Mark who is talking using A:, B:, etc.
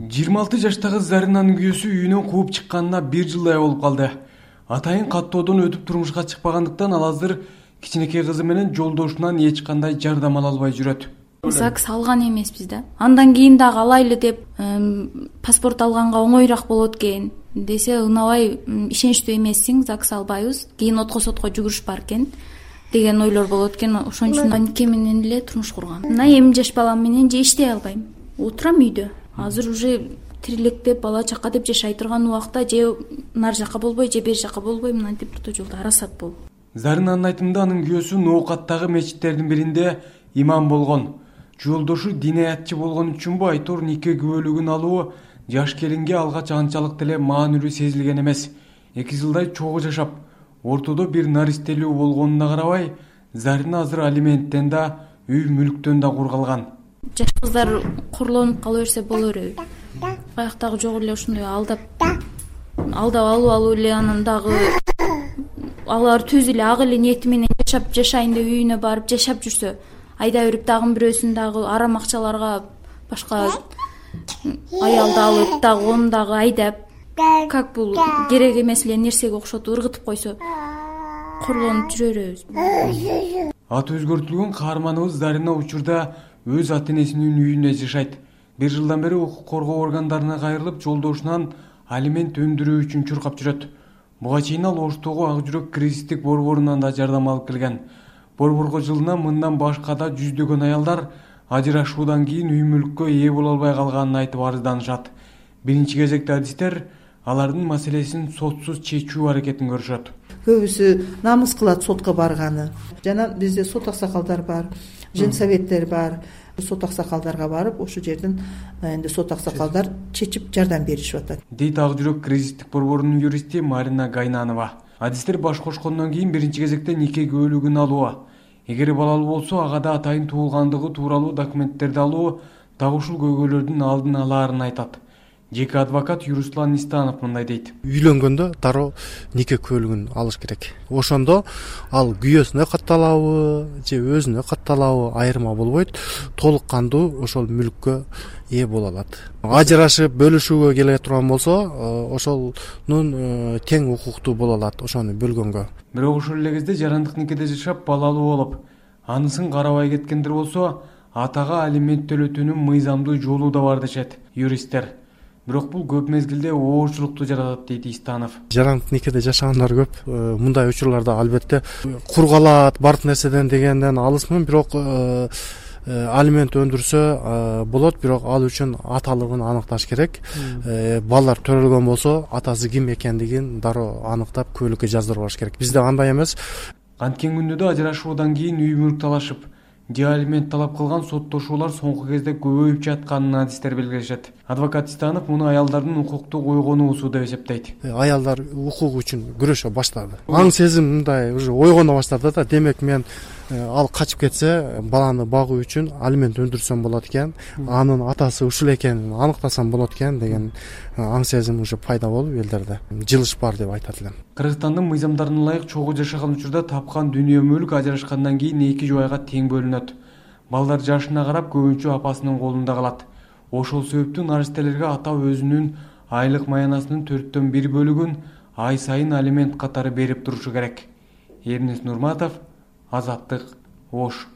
A: 26 жаштагы Заринанын күйөөсү үйүнөн кууп чыкканына 1 жылдай болуп калды. Атайын каттоодон өтүп турмушка чыкпагандыктан ал азыр кичинекей кызы менен жолдошунан эч кандай жардам ала албай жүрөт.
B: ЗАГС алган эмеспиз да. Андан кийин дагы алайлы деп паспорт алганга оңоюраак болот экен десе унабай ишеничтүү эмессиң, ЗАГС албайбыз. Кийин отко сотко жүгүрүш бар экен деген ойлор болот экен. Ошон үчүн нике менен эле турмуш кургам. Мына эми жаш балам менен же иштей албайм. Отурам үйдө. Азыр уже тирилектеп бала чака деп жашай турган убакта же нар жака болбой, же бери жака болбой мынтип орто жолдо арасат болуп.
A: Заринанын айтымында анын күйөөсү Ноокаттагы мечиттердин биринде имам болгон. Жолдошу динаятчы болгон үчүнбү айтор нике күбөлүгүн алуу жаш келинге алгач анчалык деле маанилүү сезилген эмес. 2 жылдай чогуу жашап, ортодо бир наристелүү болгонуна карабай, Зарина азыр алименттен да, үй мүлктөн да кургалган.
B: Жаш кыздар курлонуп кала берсе боло береби? Каяктагы жок эле ушундай алдап алуу эле анан дагы алар түз эле ак эле ниети менен жашайын деп үйүнө барып жашап жүрсө, айда берип дагы бирөөсүн дагы арам акчаларга башка аялды алып дагы onu дагы айдап, как бул керек эмес эле нерсеге окшотуп ыргытып койсо, курлонуп жүрө беребиз.
A: Аты өзгөртүлгөн каарманыбыз Зарина учурда өз ата-энесинин үйүндө жашайт. 1 жылдан бери укук коргоо органдарына кайрылып, жолдошунан алимент өндүрүү үчүн чуркап жүрөт. Буга чейин ал Оштогу Ак жүрөк кризистик борборунан да жардам алып келген. Борборго жылына мындан башка да жүздөгөн аялдар ажырашуудан кийин үй мүлккө ээ боло албай калганын айтып арызданышат. Биринчи кезекте адистер алардын маселесин сотсуз чечүү аракетин көрүшөт.
C: Көбүсү намыс кылат сотко барганы. Жана бизде сот аксакалдар бар, женсоветтер бар. Сот аксакалдарга барып, ошол жерден энди сот аксакалдар чечип жардам беришип атат.
A: Дейт Ак жүрөк кризистик борборунун юристи Марина Гайнанова. Адистер баш кошкондон кийин биринчи кезекте нике күбөлүгүн алуу, эгер балалуу болсо ага да атайын туулгандыгы тууралуу документтерди алуу дагы ушул көйгөйлөрдүн алдын алаарын айтат. Жеке адвокат Юруслан Истанов мындай дейт.
D: Үйлөнгөндө дароо нике күбөлүгүн алыш керек. Ошондо ал күйөөсүнө катталабы же өзүнө катталабы айырма болбойт, толук кандуу ошол мүлккө ээ боло алат. Ажырашып бөлүшүүгө келе турган болсо, ошонун тең укуктуу боло алат ошону бөлгөнгө.
A: Бирок ошол эле кезде жарандык никеде жашап балалуу болуп, анысын карабай кеткендер болсо, атага алимент төлөтүүнүн мыйзамдуу жолу да бар дешет юристтер. Бирок бул көп мезгилде оорчулукту жаратат дейт Истанов.
D: Жарандык никеде жашагандар көп. Мындай учурларда албетте кургалат, бар нерседен дегенден алысмын, бирок алимент өндүрсө болот, бирок ал үчүн аталыгын аныкташ керек. Балдар төрөлгөн болсо, атасы ким экендигин дароо аныктап күбөлүккө жаздырып алыш керек. Бизде андай эмес.
A: Анткен күндө ажырашуудан кийин үй мүлк талашып, же алимент талап кылган соттошуулар соңку кезде көбөйүп жатканын адистер белгилешет. Адвокат Истанов муну аялдардын укуктук ойгонуусу деп эсептейт.
D: Аялдар укук үчүн күрөшө баштады. Аң сезим мындай уже ойгоно баштады да. Демек мен ал качып кетсе, баланы багуу үчүн алимент өндүрсөм болот экен, анын атасы ушул экенин аныктасам болот экен деген аң сезим уже пайда болуп элдерде жылыш бар деп айтат элем.
A: Кыргызстандын мыйзамдарына ылайык чогуу жашаган учурда тапкан дүнүйө мүлк ажырашкандан кийин 2 жубайга тең бөлүнөт. Балдар жашына карап көбүнчө апасынын колунда калат. Ошол себептен наристелерге ата өзүнүн айлык маянасынын 4/1 бөлүгүн ай сайын алимент катары берип турушу керек. Эрнес Нурматов, Азаттык, Ош.